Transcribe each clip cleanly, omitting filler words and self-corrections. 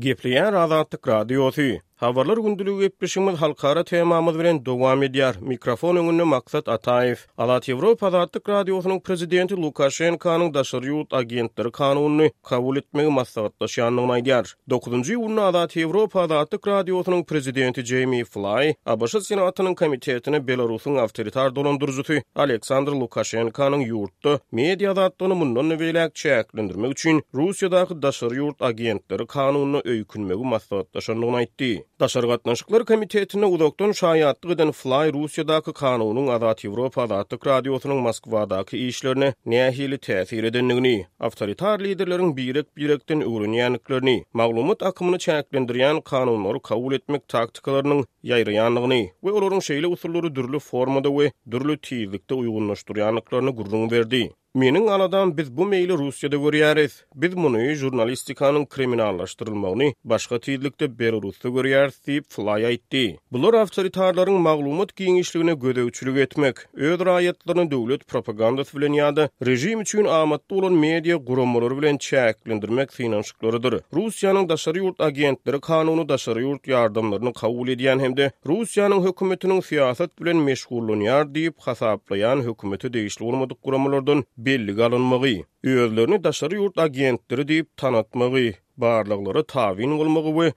Gepleýär Azatlyk Radiosy. Habarlar gündeligi gepleşigimiz halkara temamyz bilen dowam edýär. Mikrofon öňünde Maksat Ataýew. Azat Ýewropa Azatlyk Radiosynyň prezidenti Lukaşenkanyň daşary ýurt agentleri kanunyny kabul etmegi maslahatlaşýandygyny aýdýar. Dokuzynjy iýunda Azat Ýewropa Azatlyk Radiosynyň prezidenti Jeými Flaý ABŞ Senatynyň komitetine Belarusyň awtoritar dolandyryjysy Aleksandr Lukaşenkanyň ýurtda media azatlygyny mundan-da beýläk çäklendirmek üçin Russiýadaky daşary ýurt agentleri kanunyna öýkünmegi maslahatlaşandygyny aýtdy. Daşary gatnaşyklar komitetinde uzakdan şaýatlyk eden Flaý Russiýadaky kanunyň Azat Ýewropa Azatlyk Radiosynyň Moskwadaky işlerine nähili täsir edendigini, awtoritar liderleriň birek-birekden öwrenýändiklerini, maglumat akymyny çäklendirýän kanunlary kabul etmek taktikalarynyň ýaýraýandygyny we olaryň şeýle usullary dürli formada we dürli tizlikde uýgunlaşdyrýandyklaryny gürrüň berdi. Meniň aladam biz bu meýli Russiýada görýäris. Biz muny, žurnalistikanyň kriminallaşdyrylmagyny, başga tizlikde Belarusda görýäris diýip, Flaý aýtdy. Bular awtoritarlaryň maglumat giňişligine gözegçilik etmek, öz raýatlaryny döwlet propagandasy bilen ýa-da režim üçin amatly bolan media guramalary bilen çäklendirmek synanyşyklarydyr. Russiýanyň daşary ýurt agentleri kanuny daşary ýurt ýardamlaryny kabul edýän hem-de Russiýanyň hökümetiniň syýasat bilen meşgullanýar diýip hasaplaýan hökümete degişli bolmadyk guramalardan bellige alynmagy, özlerini daşary ýurt agentleri diýip tanatmagy, barlaglara tabyn bolmagy we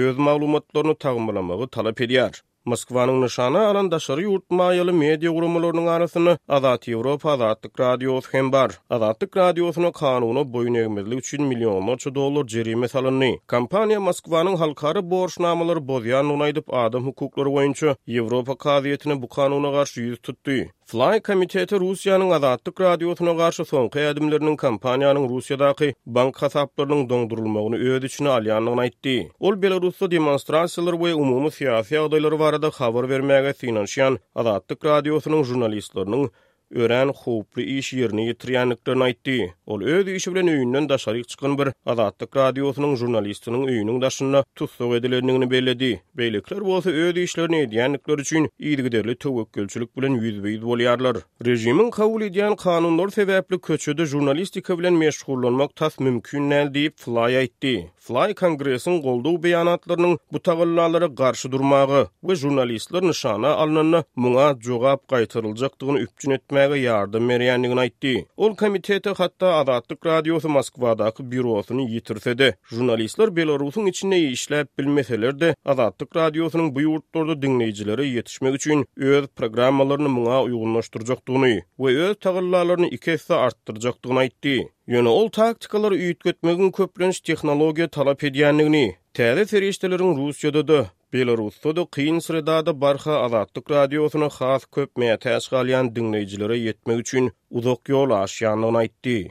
öz maglumatlaryny tagmylamagy talap edýär. Moskwanyň nyşana alan daşary ýurt maýaly media guramalarynyň arasynda Azat Ýewropa Azatlyk Radiosy hem bar. Azatlyk Radiosyna kanuna boýun egmezlik üçin millionlarça dollar jerime salyndy. Kompaniýa Moskwanyň halkara borçnamalary bozýandygyny aýdyp, adam hukuklary boýunça Ýewropa kazyýetine bu kanuna garşy ýüz tutdy. Flaý komiteti Russiýanyň Azatlyk Radiosyna garşy soňky ädimleriniň kompaniýanyň Russiýadaky bank hasaplarynyň doňdurylmagyny öz içine alýandygyny aýtdy. Ol Belarusda demonstrasiýalar we umumy syýasy ýagdaýlar barada habar bermäge synanyşýan Azatlyk Radiosynyň žurnalistleriniň örän howply iş ýerine ýetirýändiklerini aýtdy. Ol öz işi bilen öýünden daşaryk çykan bir Azatlyk Radiosynyň žurnalistiniň öýüniň daşynda tussag edilendigini belledi. Beýlekiler bolsa öz işlerini edýändikleri üçin yzygiderli töwekgelçilik bilen ýüzbe-ýüz bolýarlar. Režimiň kabul edýän kanunlary sebäpli köçede žurnalistika bilen meşgullanmak tas mümkin däl diýip, Flaý aýtdy. Flaý Kongresiň goldaw beýanatlarynyň bu tagallalara garşy durmaga we žurnalistler nyşana alnanda muňa jogap gaýtaryljakdygyny üpjün etmäge ýardam berýändigini aýtdy. Ol komitete hatda Azatlyk Radiosy Moskwadaky býurosyny ýitirse-de, žurnalistler Belarusyň içinde işläp bilmeseler-de, Azatlyk Radiosynyň bu ýurtlarda diňleýjilere ýetişmek üçin öz programmalaryny muňa uýgunlaşdyrjakdygyny we öz tagallalaryny iki esse artdyrjakdygyny aýtdy. Ýöne ol taktikalary üýtgetmegiň köplenç tehnologiýa talap edýändigini, täze serişdeleriň Russiýada-da, Belarusda-da kyn sredada barha Azatlyk Radiosyna has köp mätäç galýan diňleýjilere ýetmek üçin uzak ýol aşýandygyny aýtdy.